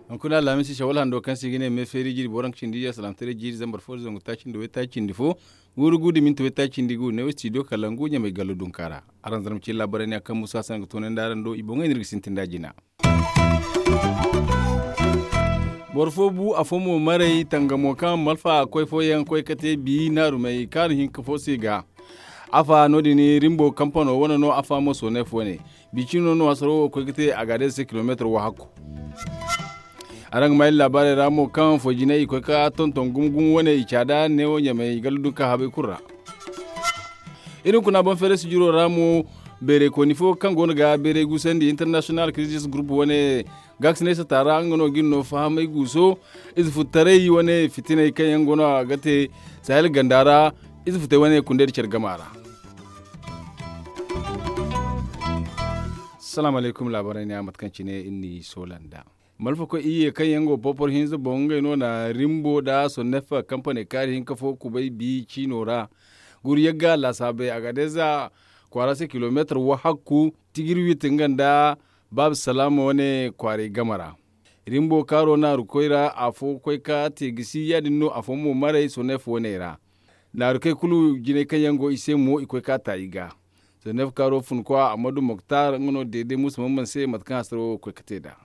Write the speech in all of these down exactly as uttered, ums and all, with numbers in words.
Hunkuna alhamisi shawal hando kaŋ se i ga ne me feeri jiiri boro nga cindi iyye salaamtaray jiiri zambar fo da zangu taaci nda waytaaci cindi fo, guuru gu da minti waytaaci cindi gu ne wo studio kalangu ɲamay gallo dunka ra. Araŋ zarma cine laabaray ne a kaŋ musa sanga toonandi araŋ do i boŋey no iri ga sintin da jina. Boro fo bu afo mo maray tangamo kaŋ malfa koy fooyaŋ koy ka te bi naarumey kaanu hinka fo se ga. Afa no- din rimbo kampano wane no afa mo soneef wane. Bi cino no hasaro wo koy ga te a ga day se kilomeetar wo hakku. Araŋ ga ma iri laabaarey ra mo kaŋ foy jinay i koy ka tonton gumo gumo wane i caada neewo ɲamey galla dunka habay kulu ra. Iri hunkuna boŋ feeray sijiro ra mo beerey kooni fo kaŋ go no ga beerey guusandi international crisis group wane gaakisinay sata ra nga no ga iri no fahamay guuso. Ize futtaray wane fitinay kaŋ yaŋ go no a ga te sahel ganda ra. Ize futtay wane kundey da care gama ra. Salaamu alaykum laabaray ne a mate kaŋ cine iri n'i soola nd'a. Malfakoy iyye kaŋ yaŋ go popor hinza boŋ ngey no na rimbo nda sonnefa kampaney kaari hinka fo kubay bi ciino ra. Guru yagga laasaabey a ga deeza kwaara se kilomeetar wahakku tigir wit nga nda baaba salaama wane kwaaray game ra. Rimbo kaaro naaru koy ra afo koy ka te gisi ya- din no afo mo maray sonnefa wane ra. Naaru kay kulu jinay kaŋ yaŋ go i se mo i koy ka ta i ga. Sonnefa kaaro fun kwa ammadu moktar nga no deede muusa mamman se mate kaŋ hasaro koy ka te nd'a.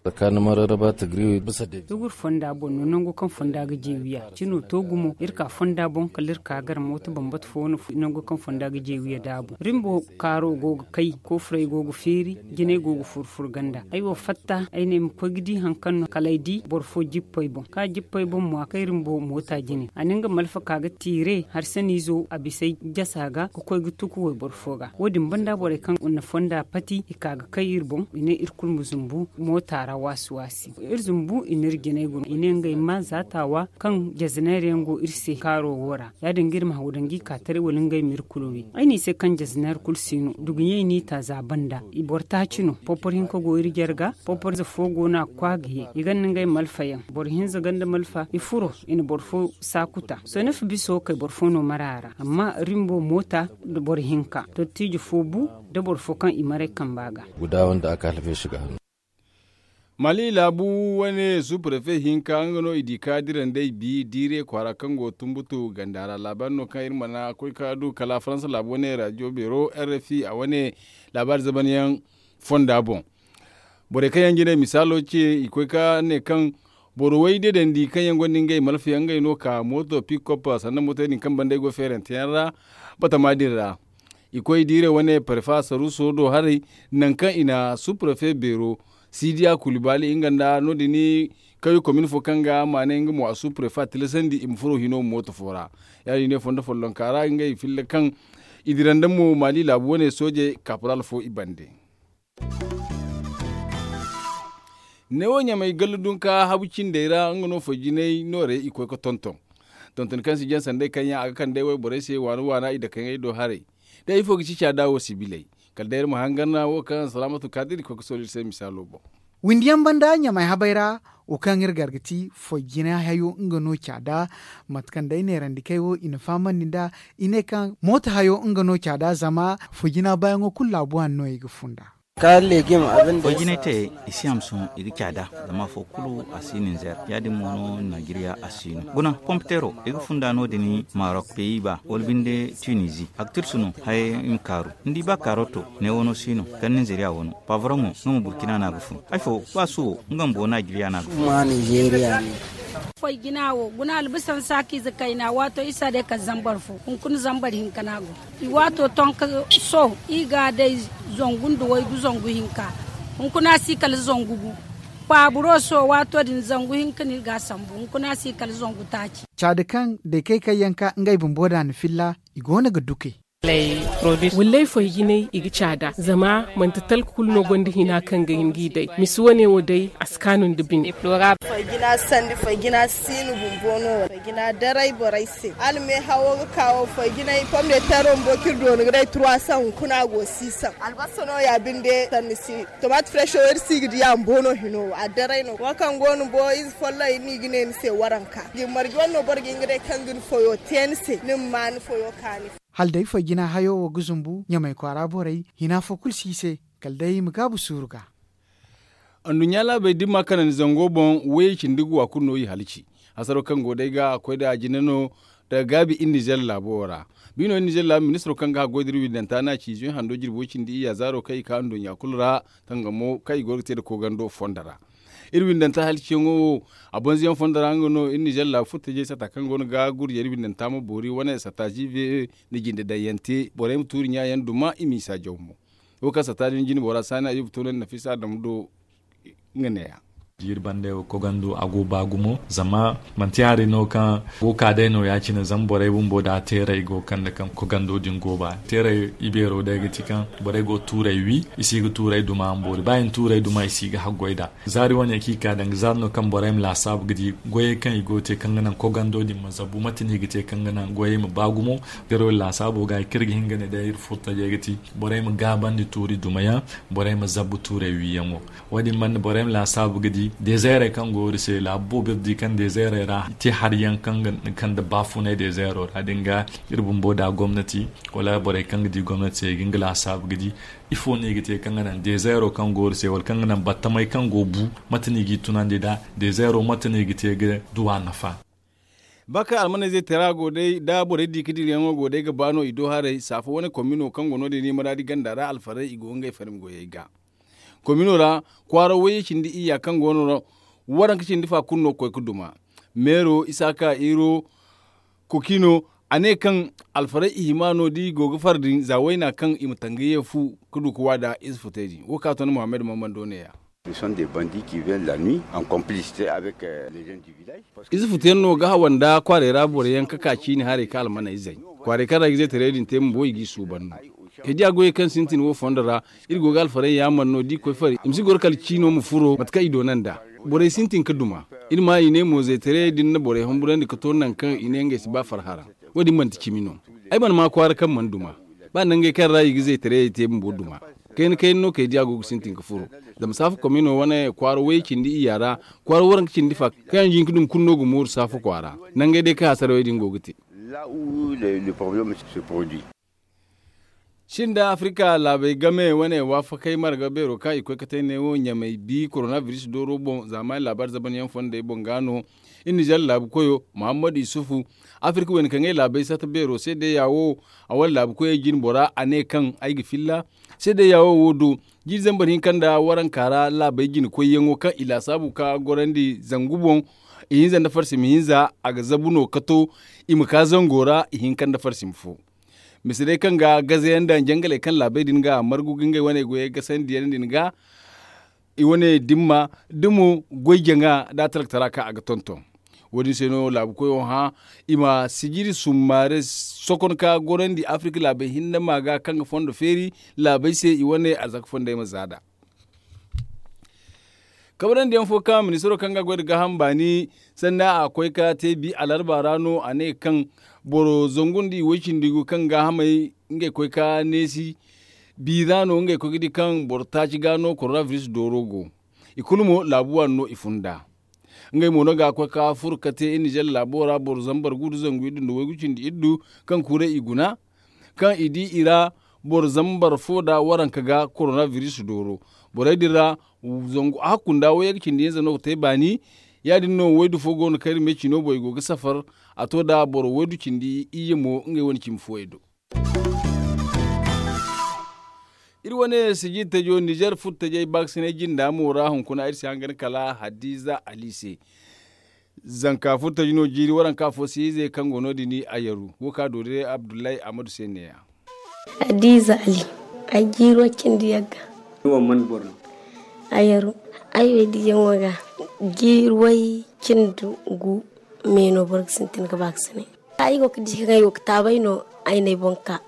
Tsakanin mararraba ta griwi bisa da. Tugur fonda boŋ no nango kaŋ fonda ga jeewiya cino to gumo iri ka fonda boŋ kala iri ka gar mooto bambata fo no nango kaŋ fonda ga jeewiya da boŋ rimbo kaaro go ga kay koofurey go ga feeri jinay go ga furfur ganda ay wo fatta ay ne ay ma koy ga di hari kaŋ no kala ay di boro fo jippey boŋ ka jippey boŋ mo a kay rimbo moota jine a na nga malfa ka ga tiire harsaniizo a bisey jasa ga ka koy ga tuku wayboro fo ga wo- din banda borey kaŋ na fonda pati i ka ga kay iri boŋ i ne iri kulu ma zumbu moota ra waasi waasi iri zumbu i n'iri jinay guna i ne ngey ma za taawa kaŋ jazineer yaŋ go iri se kaaro wo ra ya- din ga iri ma haw daŋ ga i ka taray wala ngey ma iri kulu wi ay n'i se kaŋ jazineer kulu si no duguɲey n'i ta za banda i boro taaci no popor hinka go iri jarga popor ize fo go no a ga kwa ga ye i ganda ngey malfa yaŋ boro hinza ganda malfa i furo i na boro fo saakuta sonefa biso kay boro fo no mara a ra amma rimbo moota nda boro hinka dottiijo fo bu nda boro fo kaŋ i maray kamba ga. Guda wanda aka halfe shi ga hannu. Mali laabu wane suprefe hinka nga no i di ka dira nd'ey bi diire kwaara kaŋ go tumbutu ganda ra laabaari no kaŋ iri mana koy ka du kala faransa laabu wane raadiyo beero rfi a wane laabaari zamanyaŋ fonda boŋ. Borey kaŋ yaŋ ga ne misaalo ce i koy ka ne kaŋ boro way deedandi kaŋ yaŋ gonda ngey malfayaŋ ngey no ka mooto pikop sanda mootey din kaŋ banda ay go feeranteyaŋ ra batama din ra. I koy diire wane prefa saruso do haray nangu kaŋ i na suprefe beero sidiya kulibali nga nda no- din kawye komin fo kaŋ ga maanay nga mo a suprefa tilasandi i ma furo hino mooto fo ra. Ya- din ne fondo follonka ra ngey filla kaŋ i dira nda mo mali laabu wane soojey kaporal fo i bande. Neewo ɲamay gallu dunka habu cindey ra nga no foy jinay noorey i koy ga tonton. Tonton kaŋ si jaŋ sanday kaŋ yaŋ a ga kand'ey wayborey se waana waana i dake ngey do haray. Day ifo ga ci caada wo sibiley kala day iri ma hangan wo kaŋ salaamatu kaadiri koy ga sooli iri se misaalo boŋ. Windiyaŋ banda ɲamay habay ra wo kaŋ iri gar ga ti foy jina hayo nga no caada. Mate kaŋ day neerandikey wo i na fahamandi nd'a i ne kaŋ mooto hayo nga no caada zama foy jina baayaŋo kulu laabu hanno i ga funda. Kaari legim abin da foy jinay te i si hamsin i ga caada zama afo kulu a si ninzeer ya- din mo no najeriya a si no guna pompetero i ga funda no- din marok peyi ba wala binde tunizi a ga tirsu no haya i ma kaaru ni di ba kaaroto ne wano si no kala ninzeeriya wano pavraŋo nga ma burkina no a ga fun ay fo ba suwo nga ma bo najeriya no a ga fun. Foy jina wo guna albisan saakiize kayna waato isa day kala zambar fo hunkuna zambar hinka no a go. I waato tonka so i ga a day zangu nda waygu zangu hinka. Hunkuna si kala zangu gu. Paaburo so waato din zangu hinka no i ga a sambu hunkuna si kala zangu taaci. Caada kaŋ day kay kaŋ yaŋ ka ngey bumbo da na filla i go no ga duke. Wallay foy jinay i ga caada zama manti talka kulu no gonda hina kaŋ ga hin g'i day misi wane wo day a si kaanu nda bine. Foy jina sandi foy jina si no bumbo no. Jina daray borey se hala meehawo ga ka wo fay jinay pom de teero bumbo kaŋ iri dooni ga day trois cents hunkuna a go six cents albasa no ya binde sanni si. Tomaati fresh wo iri si ga di a bumbo no hino a daray no wo kaŋ go no bumbo ize folloŋ iri no i ga ne ni se waranka. Marje wane no boro ga hin ga day kaŋ ga ni foyo te ni se ni ma ma ni foyo kaani. Hala day foy jina hayo wo ga zumbu ɲamay kwaara borey hina fo kulu si i se kala day i ma gaabu suuru ga. Anduɲɲa laabey dimma kanandi zango boŋ wayey cindi ga wa kulu no i halaci. Hasaro kaŋ go day ga a koy da a jina no daga gaabi iri nizer laabo wo ra. Bi no iri nizer laabu ministiro kaŋ ga haggoy da iri windanta no a ci zuy hando jirbi way cindi iyya zaaro kaŋ i ka anduɲɲa kulu ra tangamo kaŋ i go ga te nda koogando fondo ra. Iri windanta halciyaŋo wo a banza yaŋ fondo ra nga no iri nizer laabu furtajey sata kaŋ go no ga gurjey iri windanta ma boori wane sata ziive nda jinde daŋ yaŋ te borey ma tuuri ɲa yaŋ duma i ma i saajaw mo. Wo kaŋ sata din jine bora saani a yuba toonandi nafiisa adamu do. Nga ne- ya. Jiiri bande wo kogando a go ba gumo zama manti hari no kaŋ go ka day no ya- cine zama borey bumbo da teeray go kande kaŋ kogando din go ba teeray ibeero day ga ti kaŋ borey go tuuray wi i si ga tuuray duma boori ba i na tuuray duma i si ga haggoy nd'a. Zaari wane kaŋ i ka danga zaari no kaŋ borey ma laasaabu ga di goyey kaŋ i go ga te kaŋ ga naŋ kogando din ma zabu mate no i ga te kaŋ ga naŋ goyey ma ba gumo. Teero din laasaabo ga kaŋ iri ga hin ga ne day iri furtajey ga ti borey ma gaabandi tuuri dumayaŋ, borey ma zabu tuuray wiyaŋo. Wo- din man borey ma laasaabu ga di dezeerey kaŋ go iri se laabu boobo iri di kaŋ dezeerey ra te hari yaŋ kaŋ ga kande baafunay dezeero ra din ga iri bumbo da gomnati wala borey kaŋ ga di gomnati se i ga nga laasaabu ga di ifo no i ga te kaŋ ga naŋ dezeero kaŋ go iri se wala kaŋ ga naŋ battamey kaŋ go bu mate no i g'i tunandi nd'a dezeero mate no i ga te ga du a nafa. Ba kaŋ almaney zay tara go day da borey di ga dirayaŋo go day ga ba no i do haray saafo wane komino kaŋ go no- din i maraadi ganda ra alfarey i go ngey farmi goyey ga. Komino ra kwaara wayye cindi iyya kaŋ go no ra waranka cindi fa kulu no ga koy ga duma. Meero isaaka iro kokino a ne kaŋ alfarey i hima no da i go ga far din za wayna kaŋ i ma tangayye fu ga du ga waada ize futey din wo kaŋ a ton muhammad mammando ne- ya. Ize futu yaŋ no ga hawa nda kwaaray ra boro yaŋ ga ka ciini haray ka almaney zay. Kwaaray kaŋ ra i ga zaytaray din te bumbo i g'i suuban no. Ay diya goyey kaŋ sintin wo fondo ra iri go ga alfarey yaaman no da i koy fari i ma si goro kala ciino ma furo mate kaŋ i doona nd'a. Borey sintin ga duma. Iri ma i ne mo zaytaray din na borey humburandi ga to nangu kaŋ i ne ngey si ba farhara. Wo- din manti cimi no. Ay mana ma kwaara kaŋ mana duma. Ba nangey kaŋ ra i ga zaytarayey te bumbo duma. Kayna kayna no kay diya go ga sintin ga furo. Zama saafa komino wane kwaara way cindi iyya ra kwaara waranka cindi fa kaŋ yaŋ jin ga duma kulu no ga mooru saafa kwaara. Nangey day kaŋ hasarawey din go ga te. Sinda afirika laabey game wane waafakey marga beero kaŋ i koy ga te neewo ɲamey bi korona biris dooro boŋ zaamaani laabaari zabanyaŋ fondey boŋ ga no. Iri nizer laabu koyo muhammadu isufu afirika wayna kaŋ ay laabey sata beero se day ya wo. A wane laabu koyey jine bora a ne kaŋ ay ga filla se day ya wo wo do. Jiiri zambar hinka nda waranka ra laabey jine koyyaŋo kaŋ i laasaabu ka gorandi zangu boŋ. Ihinza nda farsima hinza a ga zabu no ga to i ma ka zango ra ihinka nda farsima fo. Mise day kaŋ ga gazayaŋ nda jangaley kaŋ laabey din ga margu ga ngey wane goyey gasandi yaŋ din ga. I wane dimma da mo goy jaŋa da a talkatara kaŋ a ga tonton. Wo- din se no laabu koyo hã i ma sijiri summaare sokon ka gorandi afirika laabey hinne ma ga kaŋ ga fondo feeri laabey se i wane arzaka fondey ma za nd'a. Kabrandi yaŋ fo kaŋ ministiro kaŋ ga goy nda gaaham baani sanni a koy ka te bi alarba ra no a ne kaŋ boro zangu nda i way cindi gu kaŋ gaahamey ngey koy ka neesi. Bi ra no ngey koy ga di kaŋ boro taaci ga no korona biris dooro go. I kulu mo laabu waani no i fun nd'a. Ngey mo no ga koy ka furo ka te iri nizer laabo ra boro zambar gu nda zangu iddu nda waygu cindi iddu kaŋ kuuray i guna. Kaŋ i di i ra boro zambar fo nda waranka ga korona biris dooro. Borey din ra zangu a hakku nda wayyaŋ cindi hinza no ga te baani. Ya- din no waydu fo go no kaŋ iri me cino boŋ i go ga safar. A to nda boro waydu cindi iyye mo ngey wane cimi fooyey do. Iri wane sijiri tajo nizer furtajey baakasinay jinda mo ra hunkuna iri si hangan kala hadiza ali se. Zanka furtaji no jiiri waranka fo se ize kaŋ go no- din a yaru wo ka doori abdullahi ahmadu se ne- ya. Hadiza ali. Ay jiiri way cindi yagga. Ni wo man boro no? A yaru. Ay way diyaŋo ga jiiri way cindi gu me no boro ga sintin ga baakasinay. Ay go ga di kaŋ ay go ga taabay no ay n'ay boŋ ka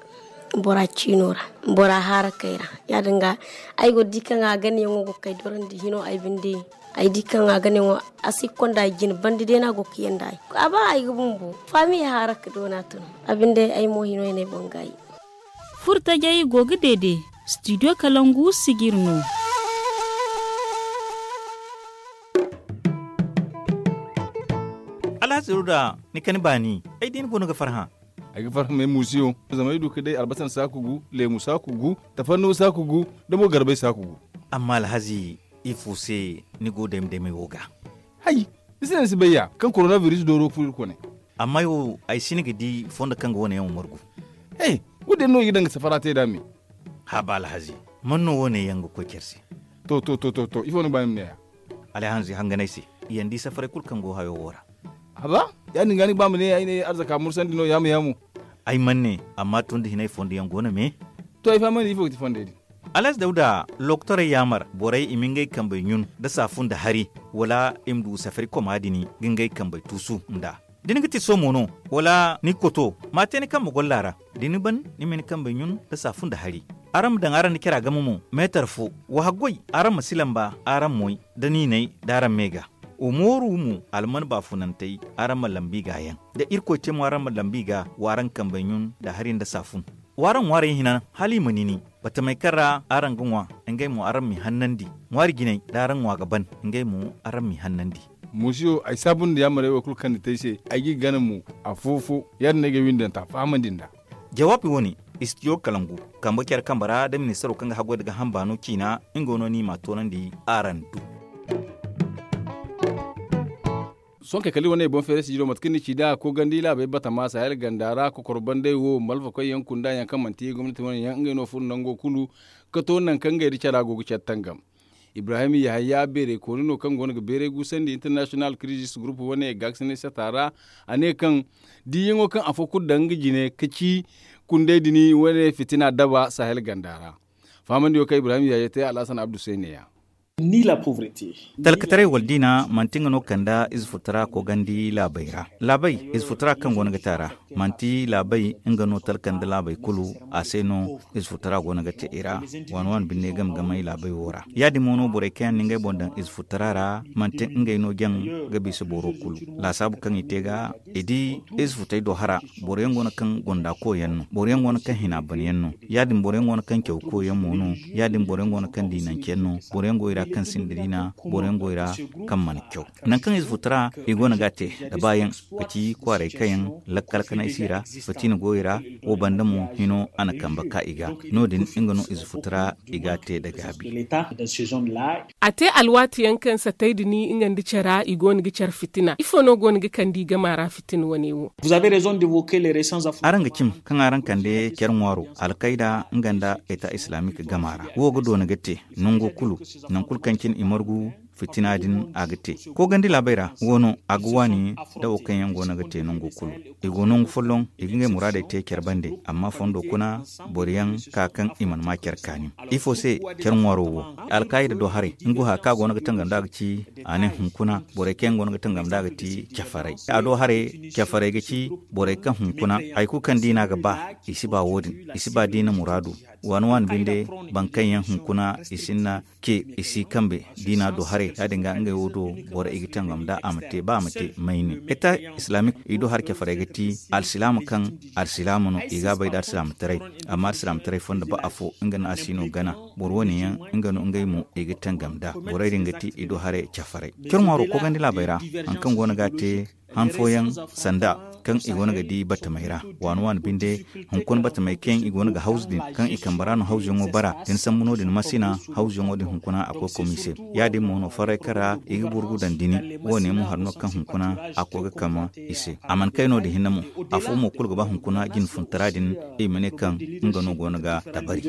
bora ciino ra bora haarakey ra. Ya- din ga ay go ga di kaŋ a ganayaŋo go ga kay dorandi hino ay binde. Ay di kaŋ a ga ne wo a si ga konda ay jine banda day no a go ga yanda ay a ba ay ga bumbo faami haara ga doona tun. A binde ay mo hino ay ne ay boŋ gaayi. Furtajey go ga deede. Studio kalangu sijir no. Alhazi ruda ni kani baani ay di ni go no ga farhã. Ay ga farhã ma ay muusiyo zama ay du ga day albasan saaku gu, leemu saaku gu, tafannuwa saaku gu, da mo garbay saaku gu. Amma alhazi, ifo se ni go dayma daymay wo ga? Hay, ni si naŋ ni si bay ya kaŋ korona biris dooro ga furo iri kone. Amma ay wo ay si ni ga di fondo kaŋ ga wane yaŋ wo margu. He, wo- din no i ga daŋ ga safara te nd'a me. Haaba alhazi, man no wane yaŋ ga koy care se? To to to to to ifo ni ga ba ni ma ne ya? Alhazi hanganay se, i yaŋ di safaray kulu kaŋ go hayo wo ra. Haba, ya- din ga ni ga ba ma ne ay ne arzaka mursandi no yaamu yaamu. Ay mana ne, amma tun da hinay fondo yaŋ go no me. To ay fahamandi ifo ga ti fondey din? Alhazi dawda, lokotorey yaamar borey i ma ngey kambey ɲun nda saafu nda hari, wala i ma du safari koma din ga ngey kambey tuusu nd'a? Da ni ga ti soomo no, wala ni ga koto, ma a te ni kambe golla ra. Da ni ban, ni ma ni kambey ɲun nda saafu nda hari. Araŋ ma daŋ araŋ nda cara game mo, meetar fo. Wa haggoy, araŋ ma si lamba araŋ moy, da niinay da araŋ me ga. Wa mooru mo, alman baafunantey, araŋ ma lambi ga yaŋ. Da irkoy te mo araŋ ma lambi ga, wa araŋ kambey ɲun nda hari nda saafun. Wa araŋ ŋwaarey hina, hala i ma nini. Batamey kaŋ ra araŋ ga ŋwa, ngey mo araŋ m'i hannandi. Ŋwaari jinay da araŋ ŋwa ga ban, ngey mo araŋ m'i hannandi. Muusiyo, ay saabu nda yaamarey wo kulu kaŋ ni te ay se, ay g'i gana mo, afo-fo. Ya- din no ay ga ay windanta fahamandi nd'a. Jawaabi wo- ne, istidiyo kalangu, kambe care kambe ra da ministaro kaŋ ga haggoy nda gaaham baano ciina, nga no ni m'a toonandi araŋ do. Sohõ kay kala iri wane boŋ feeray sijiro mate kaŋ ni ci nd'a koogandi laabey batama sahel ganda ra kokoro bandey wo malfakoy yaŋ kunda yaŋ kaŋ manti gomnati wane yaŋ ngey no furo nango kulu, ga to nangu kaŋ ngey nda cara go ga care tangam. Ibrahim yahaya beeray kooni no kaŋ go no ga beeray guusandi international crisis group wane gaakasinay sata ra. A ne kaŋ diiyaŋo kaŋ afo kulu daŋ nga jine ga ci kundey din wane fitina daba sahel ganda ra. Fahamandiyo kaŋ ibrahim yahaya te alhasan abdu se ne- ya. Talkataray wala diina manti nga no kanda ize futara koogandi laabey ra. Laabey ize futara kaŋ go no ga te a ra, manti laabey nga no talka nda laabey kulu. A se no ize futara go no ga te i ra. Waani waani binde game game ay laabey wo ra. Ya- din mo no borey kaŋ yaŋ na ngey boŋ daŋ ize futara ra, manti ngey no jaŋ ga bisa boro kulu. Laasaabu kaŋ i te ga i di ize futey do hara. Boro yaŋ go no kaŋ gonda koy yaŋ no, boro yaŋ go no kaŋ hina ban yaŋ no. Ya- din boro yaŋ go no kaŋ caw koy yaŋ mo no. Ya- din boro yaŋ go no kaŋ diinanci yaŋ no. Boro yaŋ go i ra kaŋ sinda diina. Boro yaŋ go i ra kaŋ mana caw. Nangu kaŋ ize futara i go no ga a te, da baayaŋ, ga ci kwaaray kayaŋ, lakkal kanay si ra, fatina go i ra. Wo banda mo hino a na kambe ka i ga. No- din nga no ize futara i ga a te nda gaabi. A te alwaati yaŋ kaŋ satay din nga nda cara i go no ga care fitina ifo no go no ga kande i gama ra fitina wane wo? Araŋ ga cim kaŋ araŋ kande care ŋwaaro, alkayda nga nda eta islamik gama ra. Wo ga doona ga te nango kulu, nangu kulu kaŋ cine i margu fitina din a ga te. Koogandi laabey ra, wo no a ga waani da wo kaŋ yaŋ go no ga te nango kulu. I go nangu folloŋ, i ga ngey muraadey te care bande. Amma fondo kuna, boro yaŋ ka kaŋ i mana ma care kaani. Ifo se care ŋwaaro wo? Alkaayida do haray, nga wo haya kaŋ a go no ga tangam nd'a ga ci, a ne hunkuna borey kaŋ yaŋ go no ga tangam nd'a ga ti cafaray. A do haray, cafaray ga ci borey kaŋ hunkuna, hari kulu kaŋ diina ga ba, i si ba wo- din. I si ba diina muraadu. Waani waani binde, boro kaŋ yaŋ hunkuna i sinda ce, i si kambe diina do haray. Ya- din ga ngey wo do, boro i ga tangam nd'a a ma te ba a ma te mayni. Eta islamik i do hara cafaray ga ti alsilaama kaŋ alsilaama no, i ga a bay nda alsilaamataray. Amma alsilaamataray fondo ba afo nga no a si no gana. Boro wane yaŋ, nga no ngey mo i ga tangam nd'a. Borey din ga ti i do haray cafaray. Care ŋwaaro koogandi laabey ra, hari kaŋ go no ga a te han fooyaŋ sanda kaŋ i go no ga di batamey ra. Waani waani binde, hunkuna batamey kaŋ i go no ga hawzu din, kaŋ i kambe ra no hawzuyaŋo bara. Da ni sambu no- din masina, hawzuyaŋo din hunkuna a koy kom i se. Ya- din mo no farray kaŋ ra i ga burgu daŋ dini. Wo- ne mo hari no kaŋ hunkuna a koy ga kama i se. A mana kay no- din hinne mo. Afo mo kulu ga ba hunkuna jine funtara din, i ma ne kaŋ nga no go no ga dabari.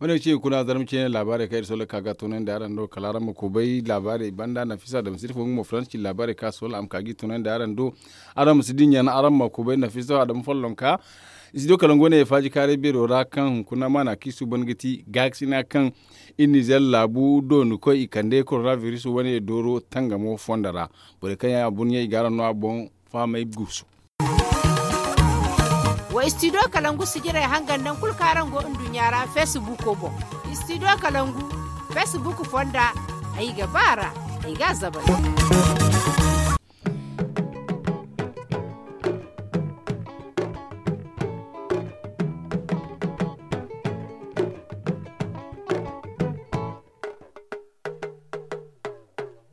Wane ga ci hunkuna zarma ceene laabaarey kaŋ iri sohõ ga ka ga toonandi araŋ do, kala araŋ ma kubay laabaarey banda nafisa da ma sirfo nga mo faransi ci laabaarey kaŋ a sohõ a ma ka ga i toonandi araŋ do. Araŋ ma si dinya na araŋ ma kubay nafisa adama follonka. Studio kalangu wane faaji kaaray beero ra kaŋ hunkuna maana kaŋ i suuban ga ti gaakasina kaŋ iri nizer laabu dooni koy i kande korona biris wane dooro tangamo fondo ra. Borey kaŋ yaŋ a burɲey i ga araŋ no a boŋ fahamay guusu. Wa studio kalangu sijirey hangan nangu kulu kaŋ araŋ go nduɲɲa ra feesibuuko boŋ. Studio kalangu feesibuuk fonda. Ay ga ba ra, ay ga a zabari.